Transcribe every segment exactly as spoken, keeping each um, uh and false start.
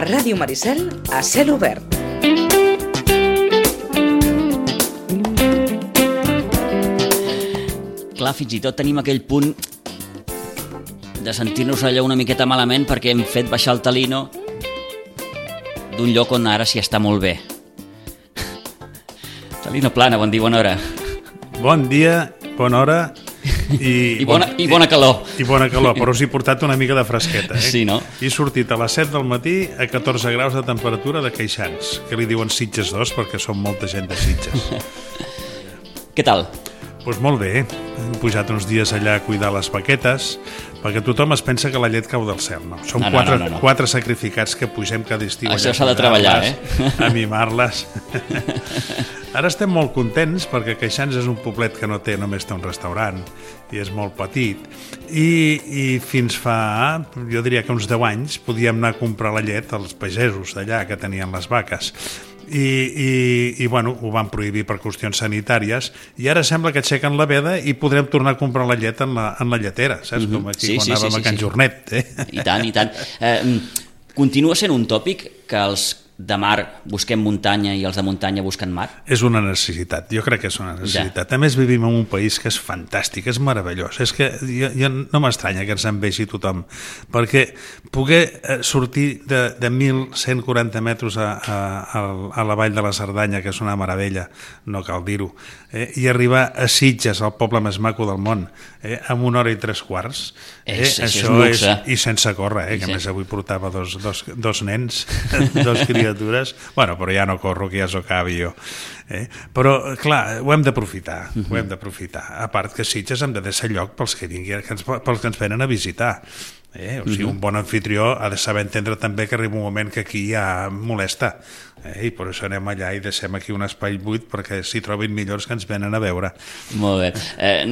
Ràdio Maricel a cel obert. Clar, fins i tot tenim aquell punt de sentir-nos allò una miqueta malament perquè hem fet baixar el Talino d'un lloc on ara s'hi està molt bé. Talino Plana, bon dia, bona hora. Bon dia, bona hora i, I, bona, i bona calor. I, i bona calor, però us he portat una mica de fresqueta. Eh? Sí, no? He sortit a les set del matí a catorze graus de temperatura de Queixans, que li diuen Sitges dos perquè som molta gent de Sitges. Què tal? Doncs pues molt bé, hem pujat uns dies allà a cuidar les vaquetes, perquè tothom es pensa que la llet cau del cel, no? Som no, no, quatre, no, no, no. quatre sacrificats que pugem cada estiu Això allà s'ha de treballar, eh? a mimar-les. Ara estem molt contents perquè Queixans és un poblet que no té, només té un restaurant i és molt petit i, i fins fa, jo diria que uns deu anys podíem anar a comprar la llet als pagesos d'allà que tenien les vaques. I, i, i bueno, ho van prohibir per qüestions sanitàries i ara sembla que aixequen la veda i podrem tornar a comprar la llet en la, en la lletera, saps? Mm-hmm. Com aquí sí, quan sí, anàvem sí, sí, a Can sí. Jornet. Eh? I tant, i tant. Eh, continua sent un tòpic que els de mar busquem muntanya i els de muntanya busquen mar? És una necessitat, jo crec que és una necessitat. Ja. A més, vivim en un país que és fantàstic, és meravellós. És que jo, jo no m'estranya que ens envegi tothom, perquè poder sortir de, de mil cent quaranta metres a, a, a la vall de la Cerdanya, que és una meravella, no cal dir-ho, eh, i arribar a Sitges, el poble més maco del món, eh, en una hora i tres quarts, eh, és, això és, luxe. és, i sense córrer, eh, que sí. A més avui portava dos, dos, dos nens, dos criatures, bueno, però ja no corro, que ja s'ho acabi jo. Eh? Però, clar, ho hem d'aprofitar, uh-huh. ho hem d'aprofitar. A part que Sitges hem de deixar lloc pels que, vingui, que, ens, pels que ens venen a visitar. Eh? O sigui, uh-huh. un bon anfitrió ha de saber entendre també que arriba un moment que aquí ja molesta. Eh? I per això anem allà i deixem aquí un espai buit perquè s'hi trobin millors que ens venen a veure. Molt bé. Eh,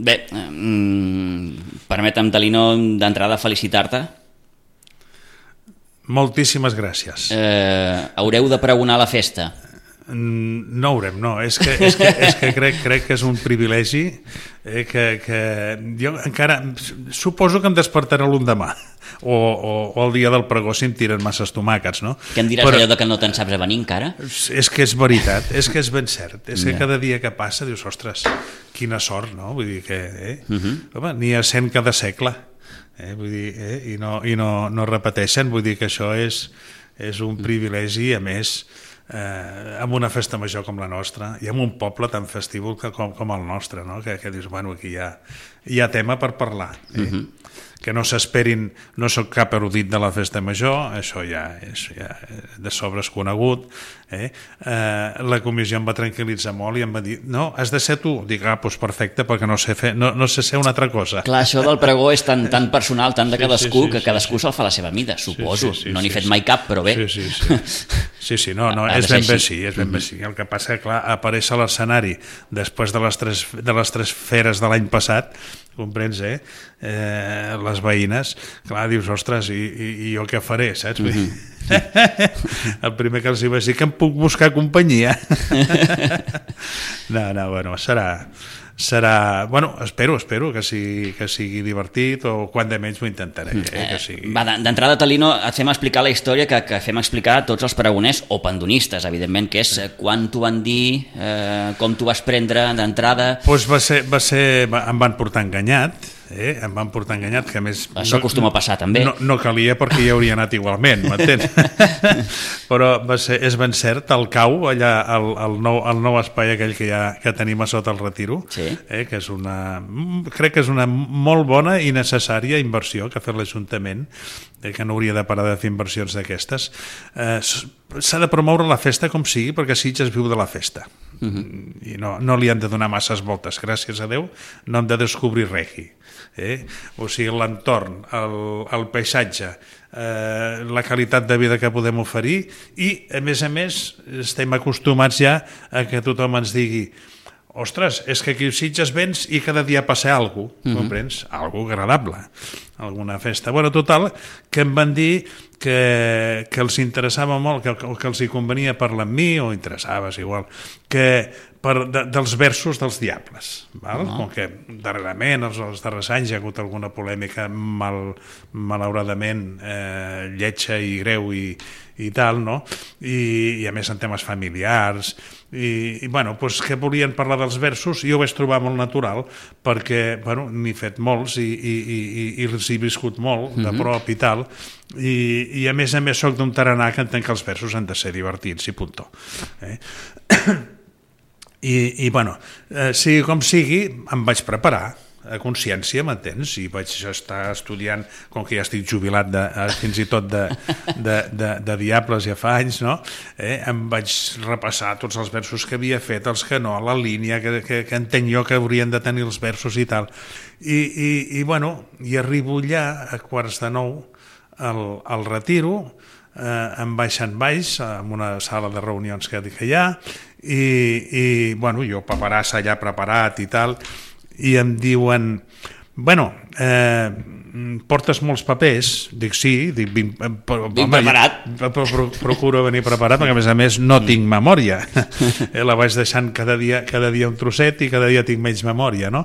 bé, eh, permetem, Talino, d'entrada felicitar-te. Moltíssimes gràcies. Eh, haureu de pregonar la festa? No haurem, no. És que, és que, és que crec, crec que és un privilegi eh, que, que jo encara suposo que em despertaré l'endemà o, o, o el dia del pregó si em tiren masses tomàquets, no? Que em diràs Però, allò de que no te'n saps a venir encara? És que és veritat, és que és ben cert. És que cada dia que passa dius, ostres, quina sort, no? Vull dir que eh? uh-huh. home, n'hi ha cent cada segle. Eh, vull dir, eh, i, no, i no, no repeteixen, vull dir que això és, és un privilegi, a més, eh, amb una festa major com la nostra i amb un poble tan festiu com, com el nostre, no? que, que dius, bueno, aquí hi ha, hi ha tema per parlar. Eh? Uh-huh. Que no s'esperin, no soc cap erudit de la festa major, això ja és ja de sobres conegut. Eh? Eh, la comissió em va tranquil·litzar molt i em va dir, no, has de ser tu. Dic, ah, doncs perfecte, perquè no sé, fer, no, no sé ser una altra cosa. Clar, això del pregó és tan, tan personal, tan de cadascú, sí, sí, sí, que cadascú sí, se'l fa a la seva mida, suposo. Sí, sí, sí, no n'hi he fet sí, mai cap, però bé. Sí, sí, sí. Sí, sí, no, no, és ben bé sí, és ben bé sí. El que passa, clar, apareix a l'escenari després de les tres, de les tres feres de l'any passat, comprens, eh? eh? Les veïnes, clar, dius, ostres, i, i, i jo què faré, saps? Mm-hmm. El primer que els hi vaig dir que em puc buscar companyia. No, no, bueno, serà... serà, bueno, espero, espero que sigui, que sigui divertit o quan de menys ho intentaré. Eh, que sigui... Va, d'entrada, Talino, et fem explicar la història que, que fem explicar a tots els pregoners o pandonistes, evidentment, que és quan t'ho van dir, eh, com t'ho vas prendre d'entrada... Doncs va ser, va ser, em van portar enganyat, eh? em van portar enganyat, que a més... Això acostuma no, a passar també. No, no calia perquè hi hauria anat igualment, m'entens? Però va ser, és ben cert, el cau, allà, el, el, nou, el nou espai aquell que, ha, que tenim a sota el Retiro, sí. eh? que és una, crec que és una molt bona i necessària inversió que ha fet l'Ajuntament, eh? que no hauria de parar de fer inversions d'aquestes. Eh, s'ha de promoure la festa com sigui, perquè Sitges viu de la festa. Uh-huh. I no, no li han de donar masses voltes, gràcies a Déu, no hem de descobrir res. Eh? O sigui, l'entorn, el, el paisatge, eh, la qualitat de vida que podem oferir i, a més a més, estem acostumats ja a que tothom ens digui ostres, és que aquí a Sitges vens i cada dia passa alguna cosa, mm-hmm. comprens? Algo agradable. alguna festa. Bueno, total, que em van dir que, que els interessava molt, que, que els hi convenia parlar amb mi, o interessava, és igual, que per, de, dels versos dels Diables, val? Uh-huh. Com que darrerament, els, els darrers anys, hi ha hagut alguna polèmica mal, malauradament eh, lletja i greu i, i tal, no? I, i a més en temes familiars, i, i bueno, doncs que volien parlar dels versos, i jo ho vaig trobar molt natural, perquè, bueno, n'he fet molts i, i, i, i els he viscut molt de prop i tal, i, i a més a més soc d'un tarannà que entenc que els versos han de ser divertits i puntó. Eh? I, i bueno, eh, sigui com sigui, em vaig preparar a consciència, m'entens? I vaig estar estudiant, com que ja estic jubilat de, fins i tot de, de, de, de Diables ja fa anys, no? Eh? Em vaig repassar tots els versos que havia fet, els que no, la línia que, que, que entenc jo que haurien de tenir els versos i tal. I, i, i bueno, i arribo allà a quarts de nou al, al retiro, eh, em baixen baix en una sala de reunions que, que hi ha, i, i bueno, jo paperàs allà preparat i tal, i em diuen, bueno, eh, portes molts papers? Dic, sí. Dic, vinc, però, vinc home, preparat. Ja, pro, procuro venir preparat, perquè a més a més no tinc memòria. eh, la vaig deixant cada dia, cada dia un trosset i cada dia tinc menys memòria, no?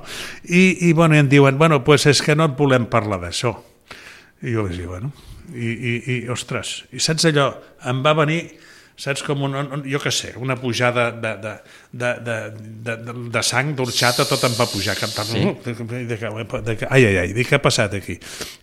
I, i bueno, em diuen, bueno, pues és que no et volem parlar d'això. I jo vaig dir, bueno, i, i, i ostres, i saps allò, em va venir... saps, com un, jo què sé, una pujada de, de, de, de, de, de sang, d'orxata, tot em va pujar. Sí. De, de, de, ai, ai, ai, dic, què ha passat aquí?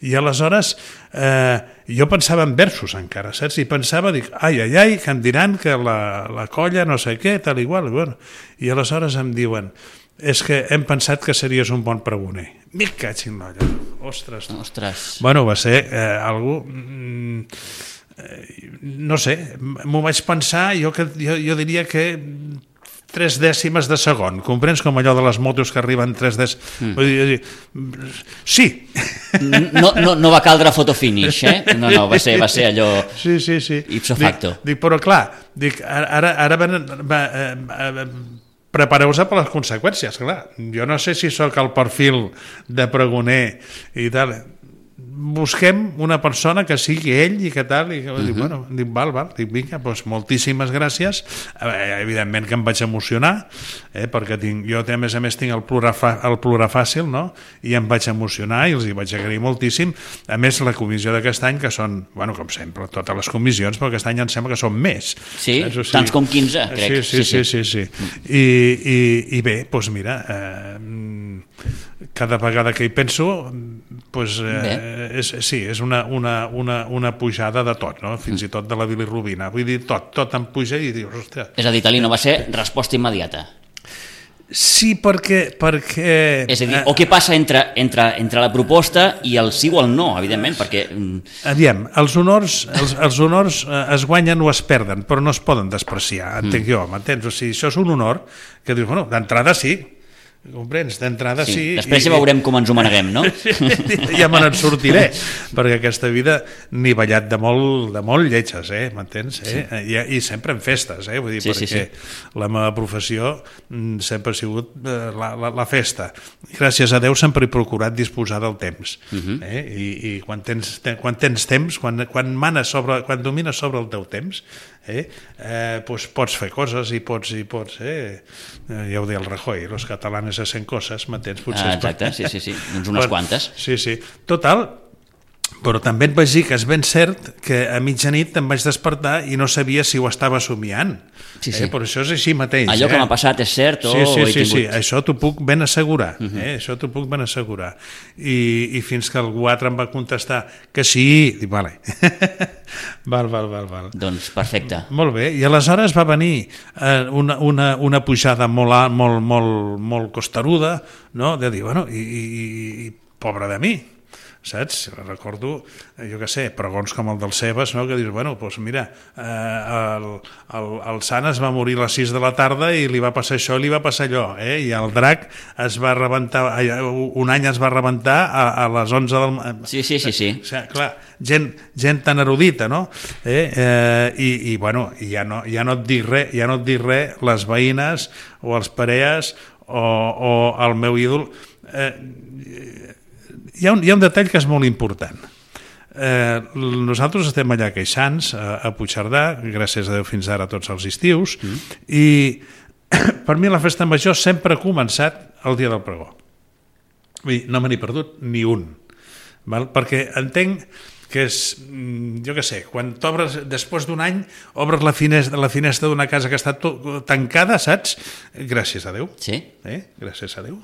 I aleshores eh, jo pensava en versos encara, saps? I pensava, dic, ai, ai, ai, que em diran que la, la colla no sé què, tal igual. Bueno. I aleshores em diuen, és que hem pensat que series un bon pregoner. M'hi catxin l'olla. Ostres. Ostres. Bueno, va ser eh, algú... Mm, no sé, m'ho vaig pensar, jo, que, jo, jo diria que tres dècimes de segon, comprens, com allò de les motos que arriben tres dècimes... Mm. Vull dir, sí! No, no, no va caldre fotofinish, eh? No, no, va ser, va ser allò sí, sí, sí. ipso facto. Dic, dic, però clar, dic, ara, ara van, va, eh, prepareu-vos per les conseqüències, clar. Jo no sé si sóc el perfil de pregoner i tal... busquem una persona que sigui ell i que tal, i que, uh-huh. dic, bueno, dic, val, val, dic, vinga, doncs moltíssimes gràcies, eh, evidentment que em vaig emocionar, eh, perquè tinc, jo a més a més tinc el plorar, fa, el plorar fàcil, no? I em vaig emocionar i els hi vaig agrair moltíssim, a més la comissió d'aquest any, que són, bueno, com sempre, totes les comissions, però aquest any em sembla que són més. Sí, o sigui, tants com quinze, crec. Sí, sí, sí, sí, sí, sí. I, i, i bé, doncs mira, eh, cada vegada que hi penso, pues, eh, és, sí, és una, una, una, una pujada de tot, no? Fins i tot de la bilirrubina. Vull dir, tot, tot em puja i dius, ostres... És a dir, Talí, no va ser resposta immediata. Sí, perquè... perquè... És a dir, o què passa entre, entre, entre la proposta i el sí o el no, evidentment, perquè... Aviam, els honors, els, els honors es guanyen o es perden, però no es poden despreciar, entenc mm. jo, m'entens? O sigui, això és un honor que dius, bueno, d'entrada sí, comprens, d'entrada sí, sí. Després ja veurem com ens ho maneguem, no? Ja me n'en sortiré, perquè aquesta vida n'he ballat de molt, de molt lletges, eh? M'entens? Eh? Sí. I, I sempre en festes, eh? Vull dir, sí, perquè sí, sí. La meva professió sempre ha sigut la, la, la festa. Gràcies a Déu sempre he procurat disposar del temps. Uh-huh. eh? I, i quan, tens, quan tens temps, quan, quan, manes sobre, quan domines sobre el teu temps, eh? Eh, doncs pots fer coses i pots, i pots eh? ja ho deia el Rajoy, los catalanes hacen coses, m'entens? Ah, exacte, sí, sí, sí, doncs unes bueno, quantes. Sí, sí, total, però també et vaig dir que és ben cert que a mitjanit em vaig despertar i no sabia si ho estava somiant. Sí, sí. Eh? Però això és així mateix. Allò eh? que m'ha passat és cert o sí, sí, he sí, tingut... sí, això t'ho puc ben assegurar. Uh-huh. eh? Això t'ho puc ben assegurar. I, I fins que algú altre em va contestar que sí, dic, vale. val, val, val, val. Doncs perfecte. Molt bé, i aleshores va venir eh, una, una, una pujada molt, molt, molt, molt costeruda, no? De dir, bueno, i, i, i pobre de mi, saps? Recordo, jo què sé, pregons com el del Cebes, no? Que dius, bueno, doncs mira, eh, el, el, el Sant es va morir a les sis de la tarda i li va passar això i li va passar allò, eh? I el Drac es va rebentar, un any es va rebentar a, a les onze del... Sí, sí, sí, sí. O sigui, clar, gent, gent tan erudita, no? Eh? Eh, i, i, bueno, ja no, ja no et dic res, ja no et dic res, les veïnes o els parees o, o el meu ídol... Eh, hi ha un, hi ha un detall que és molt important. Eh, nosaltres estem allà a Queixans, a, a Puigcerdà, gràcies a Déu fins ara tots els estius, mm. i per mi la festa major sempre ha començat el dia del pregó. Vull dir, no me n'he perdut ni un, val? Perquè entenc que és, jo què sé, quan t'obres, després d'un any, obres la finestra, la finestra d'una casa que està tancada, saps? Gràcies a Déu. Sí. Eh? Gràcies a Déu.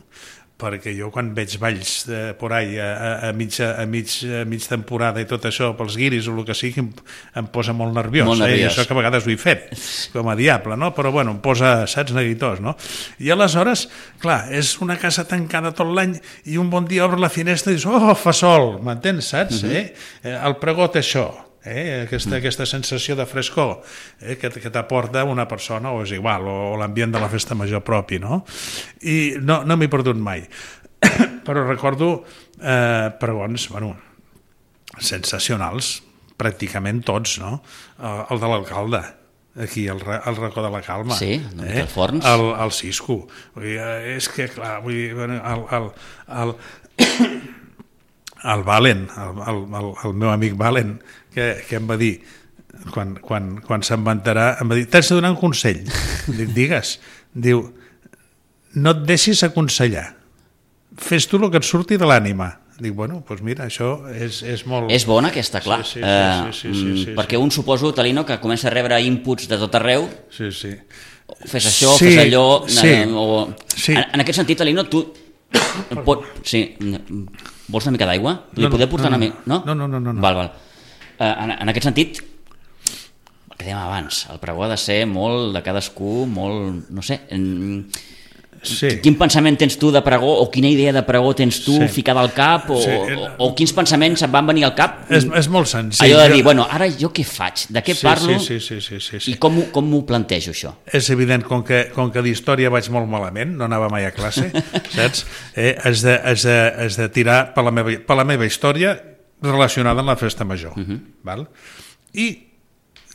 Perquè jo quan veig balls de, por ahí a, a, a, mitja, a, mig, a mig temporada i tot això pels guiris o el que sigui em, em posa molt nerviós, molt nerviós. Eh? Això que a vegades ho he fet com a diable, no? Però bueno, em posa, saps, neguitós, no? I aleshores, clar, és una casa tancada tot l'any i un bon dia obres la finestra i dius, oh, fa sol, m'entens, saps? Uh-huh. eh? El pregó té això. Eh, aquesta, mm. aquesta sensació de frescor eh, que, que t'aporta una persona o és igual, o, o l'ambient de la festa major propi, no? I no, no m'he perdut mai però recordo eh, pregons, bueno, sensacionals pràcticament tots, no? El, el de l'alcalde aquí, el, el racó de la Calma, sí, eh? el Forns, el, el Cisco, vull dir, és que clar, vull dir, el, el, el el Valen, el, el, el, el meu amic Valen, que, que em va dir, quan, quan, quan se'n vantarà, em va dir, t'has de donar un consell. Dic, digues. Diu, no et deixis aconsellar. Fes tu el que et surti de l'ànima. Dic, bueno, doncs mira, això és, és molt... És bona aquesta, clar. Sí, sí, sí, sí, sí, sí, sí, sí, perquè un suposo, Talino, que comença a rebre inputs de tot arreu. Sí, sí. Fes això, sí, fes allò... Sí, o... sí. En, en aquest sentit, Talino, tu... Pot... Sí. Vols una mica d'aigua? Li No, no, poder portar no, una mica? No? No, no, no, no, no. Val, val. Uh, en, en aquest sentit, el que dèiem abans, el pregó ha de ser molt de cadascú, molt, no sé... En... Sí. Quin pensament tens tu de pregó o quina idea de pregó tens tu Sí. ficada al cap o, Sí. o, o quins pensaments et van venir al cap? És, és molt senzill. Allò de dir, bueno, ara jo què faig? De què Sí, parlo? sí, sí, sí, sí, sí. I com, ho- com m'ho plantejo, això? És evident, com que, com que d'història vaig molt malament, no anava mai a classe, saps? Eh, has, de, has, de, has de tirar per la, meva, per la meva història relacionada amb la festa major. Uh-huh. Val? I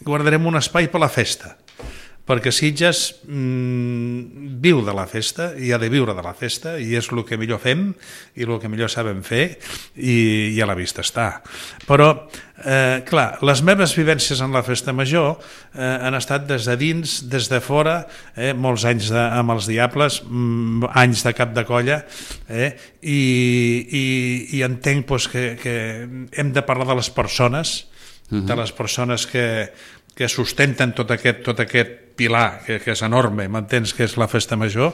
guardarem un espai per la festa, perquè Sitges mmm, viu de la festa i ha de viure de la festa i és el que millor fem i el que millor sabem fer i, i a la vista està. Però, eh, clar, les meves vivències en la festa major eh, han estat des de dins, des de fora, eh, molts anys de, amb els Diables, mm, anys de cap de colla, eh, i, i, i entenc pues, que, que hem de parlar de les persones, uh-huh. de les persones que, que sustenten tot aquest, tot aquest pilar que, que és enorme, m'entens, que és la festa major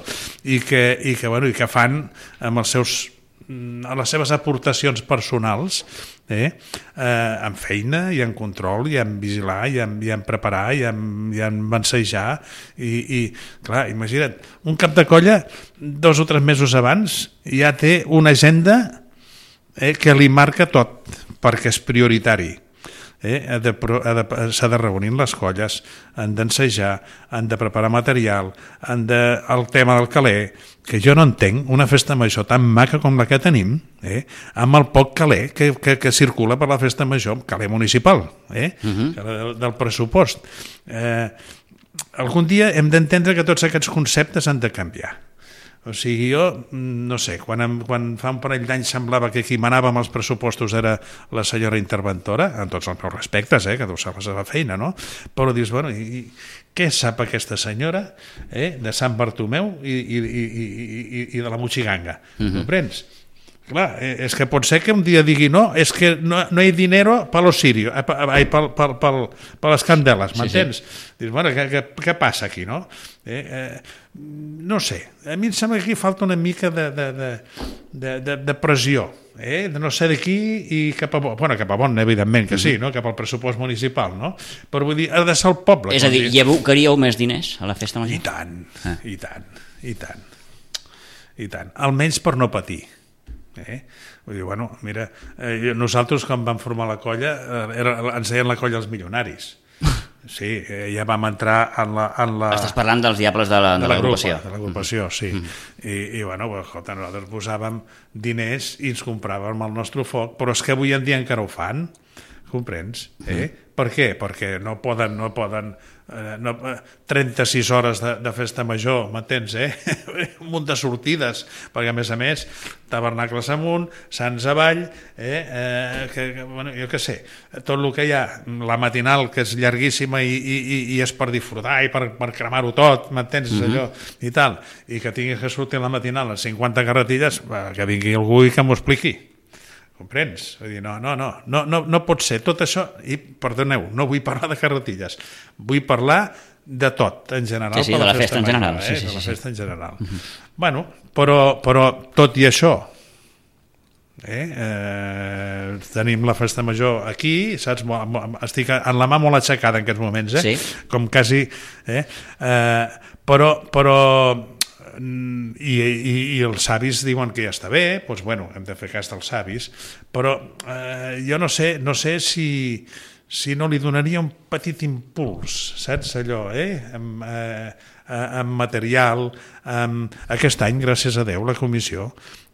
i que, i que, bueno, i que fan amb els seus a les seves aportacions personals eh, eh, en feina i en control i en vigilar i en, i en preparar i en, i en bansejar i, i clar, imagina't, un cap de colla dos o tres mesos abans ja té una agenda eh, que li marca tot perquè és prioritari. Eh, ha de, ha de, s'ha de reunir les colles, han d'ensejar, han de preparar material, han de, el tema del caler, que jo no entenc una festa major tan maca com la que tenim, eh, amb el poc caler que, que, que circula per la festa major, caler municipal, eh, uh-huh. del, del pressupost. Eh, algun dia hem d'entendre que tots aquests conceptes han de canviar. O sigui, jo, no sé, quan, em, quan fa un parell d'anys semblava que qui manava amb els pressupostos era la senyora interventora, en tots els meus respectes, eh, que deu ser la seva feina, no? Però dius, bueno, i, i què sap aquesta senyora eh, de Sant Bartomeu i, i, i, i, i de la Mochiganga? Uh-huh. Comprens? Clar, és que pot ser que un dia digui no, és que no, no hi ha dinero per los sirios, eh, per, per, per, per, per les candeles, m'entens? Sí, sí. Dius, bueno, què, què, què passa aquí, no? Eh, eh, no sé, a mi em sembla que aquí falta una mica de, de, de, de, de, de pressió, eh? De no ser d'aquí i cap a bon, bueno, cap a bon, evidentment que sí, no? Cap al pressupost municipal, no? Però vull dir, ha de ser el poble. És a dir, hi abocaríeu més diners a la festa major? I tant, ah. i tant, i tant, i tant, almenys per no patir. Eh? Vull dir, bueno, mira, eh, nosaltres quan vam formar la colla eh, era, ens deien la colla els milionaris. Sí, eh, ja vam entrar en la... En la Estàs parlant dels Diables de l'agrupació. De l'agrupació, sí. Mm. I, I, bueno, escolta, nosaltres posàvem diners i ens compràvem el nostre foc, però és que avui en dia encara ho fan, comprens? Eh? Mm. Per què? Perquè no poden, no poden eh, no, trenta-sis hores de, de festa major, m'entens, eh? Un munt de sortides, perquè a més a més, tabernacles amunt, sants avall, eh? Eh, que, que, bueno, jo què sé, tot el que hi ha, la matinal, que és llarguíssima i, i, i és per disfrutar i per, per cremar-ho tot, m'entens, mm-hmm. allò, i tal, i que tinguis que sortir a la matinal a cinquanta carretilles, que vingui algú i que m'ho expliqui. Comprens? Vull dir, no, no, no, no, no, no pot ser tot això, i perdoneu, no vull parlar de carretilles, vull parlar de tot, en general. Sí, sí, de la festa, festa en general. Eh? Sí, sí, de la sí, festa sí. en general. Uh-huh. Bueno, però, però tot i això, eh? Eh, tenim la festa major aquí, saps? Estic en la mà molt aixecada en aquests moments, eh? Sí. Com quasi... Eh? Eh, però... però I, i, i els savis diuen que ja està bé, doncs bueno, hem de fer cas dels savis, però eh, jo no sé, no sé si, si no li donaria un petit impuls, saps allò, eh? Amb, eh, amb material, amb... aquest any, gràcies a Déu, la comissió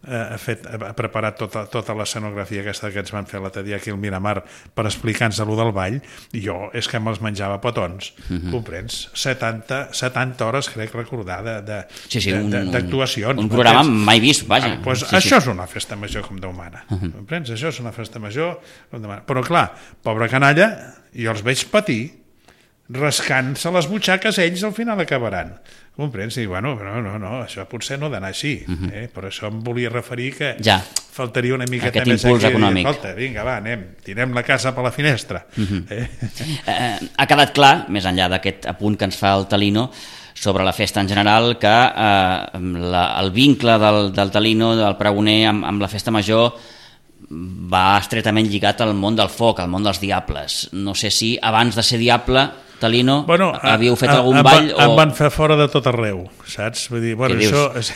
ha, fet, ha preparat tota, tota l'escenografia aquesta que ens van fer l'altre dia aquí al Miramar per explicar-nos allò del ball, i jo és que me'ls menjava petons, uh-huh. comprens? setanta, setanta hores, crec recordar, d'actuacions. Sí, sí, un, un, un programa mai vist, vaja. Ah, pues sí, això sí. és una festa major com Déu mana, uh-huh. comprens? Això és una festa major com Déu mana. Però clar, pobra canalla, jo els veig patir, rascant-se les butxaques, ells al final acabaran. Comprens? I bueno, no, no, no, això potser no ha d'anar així, uh-huh. eh? Però això em volia referir que ja. faltaria una miqueta aquest més impuls aquí. Econòmic. Dir, escolta, vinga, va, anem, tirem la casa per la finestra. Uh-huh. eh? Eh, ha quedat clar, més enllà d'aquest apunt que ens fa el Talino, sobre la festa en general, que eh, la, el vincle del, del Talino, del pregoner, amb, amb la festa major, va estretament lligat al món del foc, al món dels diables. No sé si abans de ser diable, Talino, bueno, havíeu fet a, algun a, ball? Em o... van fer fora de tot arreu, saps? Vull dir, bueno, Què això és...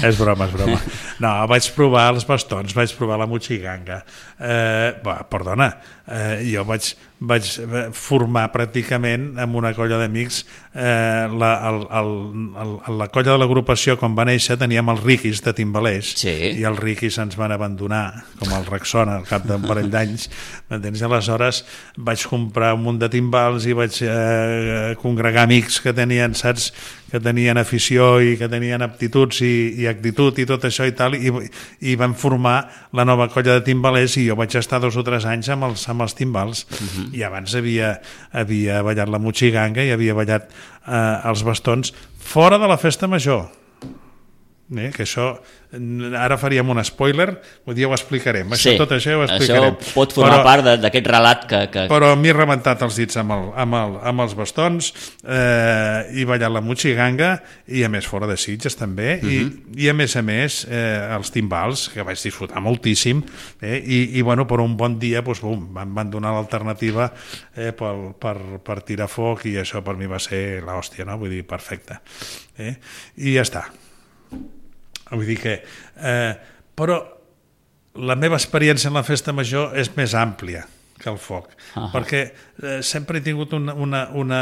és broma, és broma. No, vaig provar els bastons, vaig provar la motxiganga. Eh, bah, perdona, eh, jo vaig, vaig formar pràcticament amb una colla d'amics eh, la, el, el, el, la colla de l'agrupació quan va néixer teníem els riquis de timbalers, sí. i els riquis ens van abandonar com el Rexona al cap d'un parell d'anys, m'entens? Aleshores vaig comprar un munt de timbals i vaig eh, congregar amics que tenien, saps, que tenien afició i que tenien aptituds i, i actitud i tot això i tal, i, i van formar la nova colla de timbalers, i jo vaig estar dos o tres anys amb els, amb els timbals. Uh-huh. I abans havia, havia ballat la motxiganga i havia ballat eh, els bastons fora de la festa major. Eh, que això, ara faríem un spoiler, un dia ho explicarem, això, sí, tot això ho explicarem. Això pot formar però, part d'aquest relat que, que... Però m'he rebentat els dits amb, el, amb, el, amb els bastons, eh, i ballat la motxiganga, i a més fora de Sitges també, uh-huh. i, i a més a més eh, els timbals, que vaig disfrutar moltíssim, eh, i, i bueno, per un bon dia doncs, bum, van, van donar l'alternativa eh, per, per, per tirar foc, i això per mi va ser l'hòstia, no? Vull dir, perfecte. Eh? I ja està. Vull dir que... Eh, però la meva experiència en la festa major és més àmplia que el foc, uh-huh. perquè eh, sempre he tingut una, una, una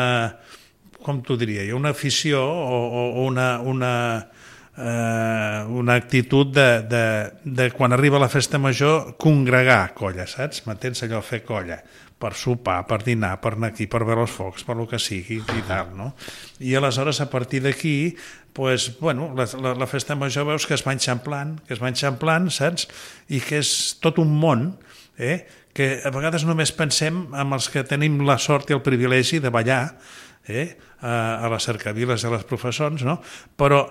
com t'ho diria jo, una afició o, o una, una, eh, una actitud de, de, de quan arriba la festa major congregar colla, saps? M'entens allò, fer colla, per sopar, per dinar, per anar aquí, per veure els focs, per el que sigui i tal, no? I aleshores a partir d'aquí pues, bueno, la, la, la festa major veus que es va enxamplant, que es va enxamplant, saps? I que és tot un món, eh? Que a vegades només pensem en els que tenim la sort i el privilegi de ballar eh? a, a les cercaviles de les professors, no? Però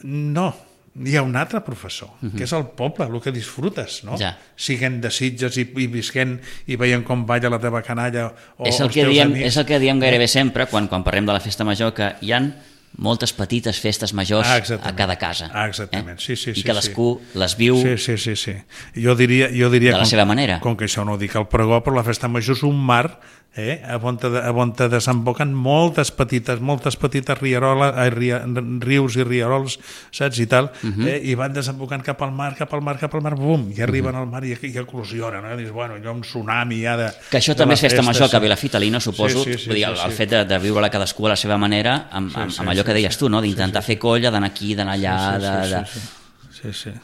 no, hi ha un altre professor, uh-huh. que és el poble, el que disfrutes, no? Ja. Siguent de Sitges i, i visquent i veient com balla la teva canalla o és el els que teus diem, amics. És el que diem gairebé sempre quan, quan parlem de la festa major, que hi han moltes petites festes majors ah, a cada casa. Ah, exactament, eh? sí, sí, sí. I cadascú sí. les viu sí, sí, sí, sí. Jo diria, jo diria de la com, seva manera. Com que això no ho dic al pregó, però la festa major és un mar eh? on, te, on te desemboquen moltes petites, moltes petites rieroles, eh, ria, rius i rierols, saps, i tal, uh-huh. eh? i van desembocant cap al mar, cap al mar, cap al mar, bum, i arriben uh-huh. al mar i, i eclosionen, no? Dius, bueno, allò un tsunami ja de... Que això de també és festa festa, major, sí. que a Vilafit, Alina, suposo, sí, sí, sí, vull dir, el, sí, sí. el fet de, de viure-la cadascú a la seva manera, amb, amb, amb allò que deies tu, no? D'intentar fer colla, d'anar aquí, d'anar allà... Sí, sí, de, sí, de... sí, sí, sí.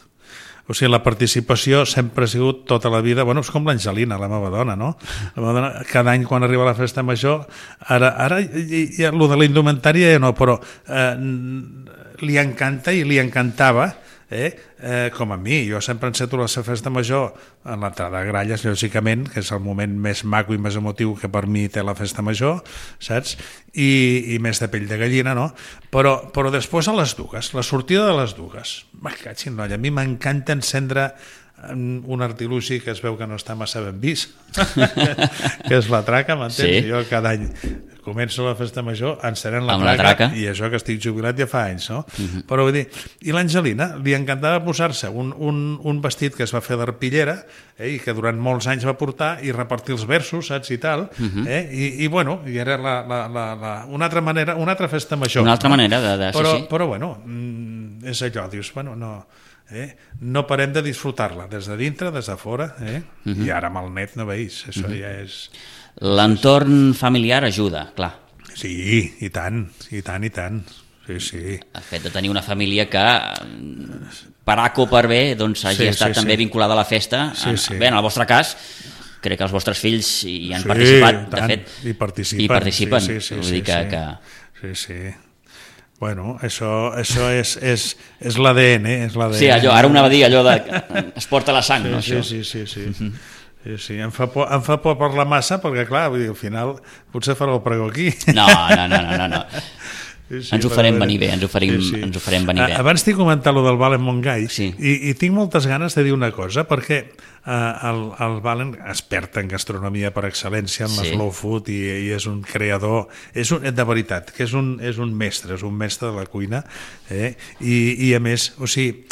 o sigui, la participació sempre ha sigut tota la vida, bueno, és com l'Angelina, la meva dona, no? La meva dona, cada any quan arriba la festa major, ara, ara ja, lo de la indumentària ja no, però eh, li encanta i li encantava, eh, eh, com a mi. Jo sempre enceto la festa major en l'entrada de gralles, lògicament, que és el moment més maco i més emotiu que per mi té la festa major, saps? I, i més de pell de gallina, no? Però, però després a les dues, la sortida de les dues. Va, catxin, noia, a mi m'encanta encendre un artilugi que es veu que no està massa ben vist, que és la traca, m'entens? Sí. Jo cada any començo la festa major encenent la traca, la traca, i això que estic jubilat ja fa anys, no? Uh-huh. Però vull dir, i l'Angelina li encantava posar-se un, un, un vestit que es va fer d'arpillera, eh, i que durant molts anys va portar, i repartir els versos, saps, i tal, uh-huh. eh, i, i bueno, i era la, la, la, la, una altra manera, una altra festa major. Una altra no? manera de... de però, sí, sí. Però bueno, és allò, dius, bueno, no... Eh? No parem de disfrutar-la des de dintre, des de fora, eh? Uh-huh. I ara amb el net no veus, això uh-huh. ja és... L'entorn familiar ajuda, clar. Sí, i tant, i tant, i tant. Sí, sí. El fet de tenir una família que, per A o per B, doncs, hagi sí, estat sí, també sí. vinculada a la festa. Sí, sí. Bé, en el vostre cas, crec que els vostres fills hi han sí, participat, tant, de fet. I participen. I participen. Sí, sí, sí, Vull dir que, sí. que... sí, sí. Bueno, això, això és, és, és l'A D N, és l'A D N. Sí, allò, ara anava a dir allò de... es porta la sang, sí, no, sí, això? Sí, sí, sí. sí. Sí, sí, em fa por, em fa por parlar massa perquè, clar, vull dir, al final potser farà el pregó aquí. No, no, no, no, no. no. Sí, sí, ens ho farem venir bé, ens ho farem, sí, sí. Ens ho farem venir bé. Abans t'he comentat lo del Valen Montgai, sí. i, i tinc moltes ganes de dir una cosa, perquè eh, el, el Valen, expert en gastronomia per excel·lència, en sí. la slow food, i, i és un creador, és un, de veritat, que és un, és un mestre, és un mestre de la cuina, eh? I, i a més, o sigui,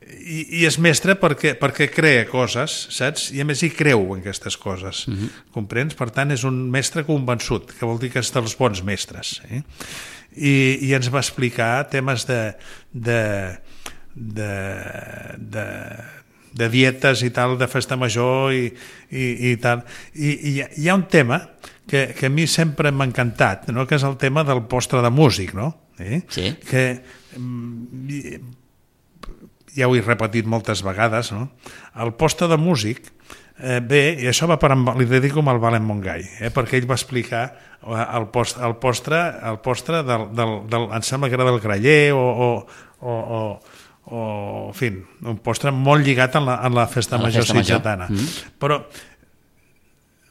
I, i és mestre perquè, perquè crea coses, saps? I a més hi creu en aquestes coses, uh-huh. comprens? Per tant, és un mestre convençut, que vol dir que és dels bons mestres. Eh? I, I ens va explicar temes de, de, de, de, de dietes i tal, de festa major i, i, i tal. I, i hi ha un tema que, que a mi sempre m'ha encantat, no? Que és el tema del postre de músic, no? Eh? Sí. Que... ja ho he repetit moltes vegades, no? El postre de músic, eh, bé, i això va per amb, li dedico amb el Valen Montgai, eh, perquè ell va explicar el, post, el postre, el postre del, del, del, em sembla que era del Graller, o, o, o, o, o en fi, un postre molt lligat en la, en la festa la major festa sitgetana. Major. Mm-hmm. Però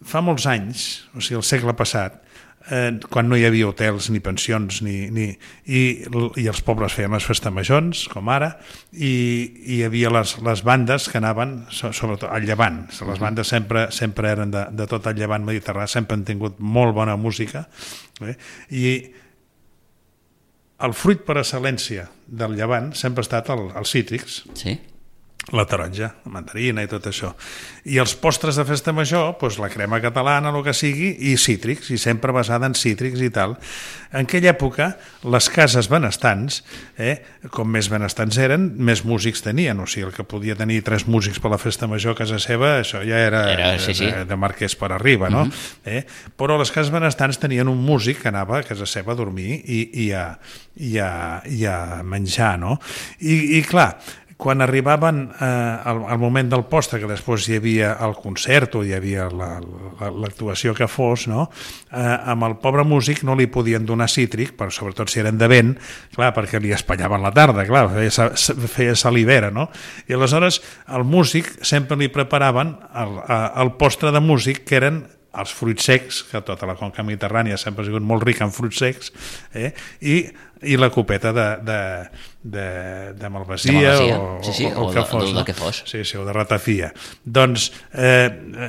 fa molts anys, o sigui, el segle passat, Eh, quan no hi havia hotels ni pensions ni, ni, i, i els pobles feien les festes majors com ara, i, i hi havia les, les bandes que anaven sobretot al llevant, les bandes sempre, sempre eren de, de tot el llevant mediterrani, sempre han tingut molt bona música, eh? I el fruit per excel·lència del llevant sempre ha estat el, els cítrics. Sí. La taronja, la mandarina i tot això. I els postres de festa major, doncs la crema catalana, el que sigui, i cítrics, i sempre basada en cítrics i tal. En aquella època, les cases benestants, eh, com més benestants eren, més músics tenien. O sigui, el que podia tenir tres músics per la festa major a casa seva, això ja era, era sí, sí. de, de marquès per arriba, no? Uh-huh. eh? Però les cases benestants tenien un músic que anava a casa seva a dormir i, i, a, i, a, i a menjar, no? I, i clar, quan arribaven eh, al, al moment del postre, que després hi havia el concert o hi havia la, la, l'actuació que fos, no? eh, amb el pobre músic no li podien donar cítric, però sobretot si eren de vent, clar, perquè li espallaven la tarda, clar, feia, feia salivera, no? I aleshores el músic sempre li preparaven el, el postre de músic, que eren els fruits secs, que tota la conca mediterrània sempre ha sigut molt rica en fruits secs, eh? I, i la copeta de, de, de, de malvasia, de malvasia. O, sí, sí, o, o, o, que de, fos, o no? del que fos. Sí, sí, o de ratafia. Doncs, eh,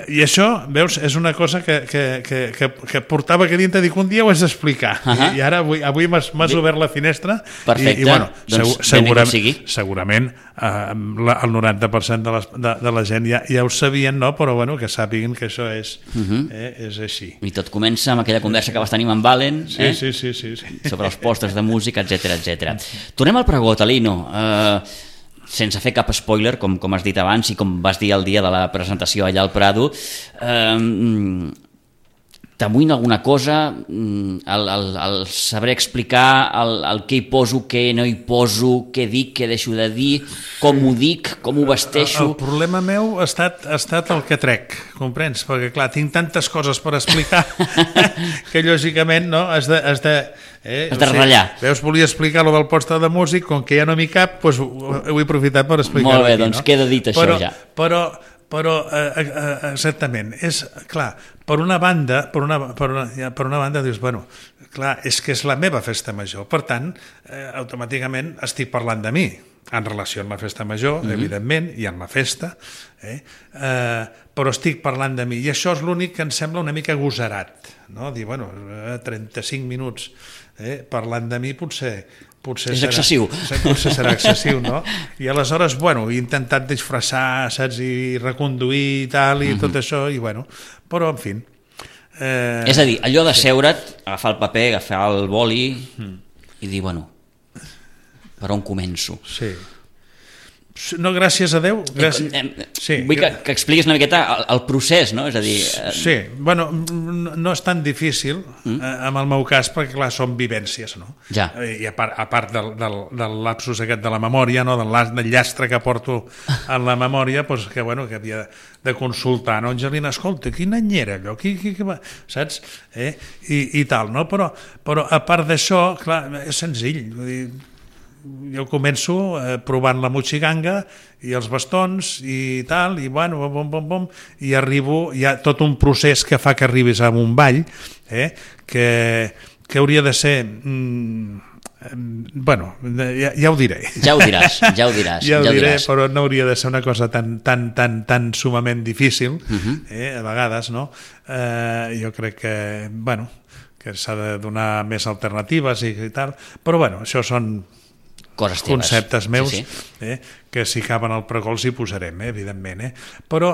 i això, veus, és una cosa que, que, que, que, que portava que dintre, dic, un dia ho has d'explicar. Uh -huh. I, i ara avui, avui m'has, m'has obert la finestra. Perfecte, i, i bueno, doncs segur, segurament, sigui. segurament eh, la, el noranta per cent de, les, de, de la gent ja, ja ho sabien, no? Però bueno, que sàpiguen que això és, uh -huh. eh, és així. I tot comença amb aquella conversa que vas tenir amb en Valen, sí, eh? sí, sí, sí, sí. sobre els postres de música, etcètera, etcètera. Tornem al pregó, Talino. Eh, sense fer cap spoiler, com, com has dit abans i com vas dir el dia de la presentació allà al Prado, eh, t'amoïna alguna cosa, el, el, el saber explicar el, el què hi poso, què no hi poso, què dic, què deixo de dir, com ho dic, com ho vesteixo... El, el problema meu ha estat, ha estat el que trec, comprens? Perquè, clar, tinc tantes coses per explicar que, lògicament, no, has de... Has de Eh, Has de ratllar. O sigui, veus, volia explicar lo del poste de músic, com que ja no m'hi cap, doncs ho, ho he aprofitat per explicar-ho. Molt bé, aquí, doncs no? queda dit això però, ja. Però, però eh, eh, exactament, és clar, per una banda, per una, per una, ja, per una banda dius, bueno, clar, és que és la meva festa major, per tant, eh, automàticament estic parlant de mi, en relació amb la festa major, mm-hmm. evidentment, i amb la festa, eh? Eh, però estic parlant de mi, i això és l'únic que em sembla una mica agosarat, no? Dir, bueno, trenta-cinc minuts eh, parlant de mi potser, potser és serà, excessiu. Potser serà excessiu, no? I aleshores, bueno, he intentat disfressar, saps, i reconduir i tal, i mm-hmm. tot això, i bueno, però en fi. Eh, és a dir, allò de seure't, agafar el paper, agafar el boli mm. i dir, bueno, per on començo? Sí. No, gràcies a Déu. Gràcies... Eh, eh, sí. Vull que, que expliquis una miqueta el, el procés, no? És a dir... Eh... Sí, bueno, no és tan difícil mm. eh, en el meu cas, perquè clar, són vivències, no? Ja. I a part, a part del, del, del lapsus aquest de la memòria, no? del, del llastre que porto en la memòria, doncs que, bueno, que havia de consultar, no? Angelina, escolta, quin any era allò? Qui, qui, qui va? Saps? Eh? I, I tal, no? Però, però a part d'això, clar, és senzill, vull dir, jo començo eh, provant la motxiganga i els bastons i tal, i bueno, bom, bom, bom, i arribo, hi ha tot un procés que fa que arribis a un ball, eh, que, que hauria de ser... Mm, bueno, ja, ja ho diré. Ja ho diràs, ja ho diràs. ja ho ja ho diré, diràs. Però no hauria de ser una cosa tan, tan, tan, tan sumament difícil, uh-huh. eh, a vegades, no? Eh, jo crec que, bueno, que s'ha de donar més alternatives i, i tal, però bueno, això són... Coses teves. Conceptes meus, sí, sí. Eh, que si caben al pregol s'hi posarem, eh, evidentment. Eh? Però,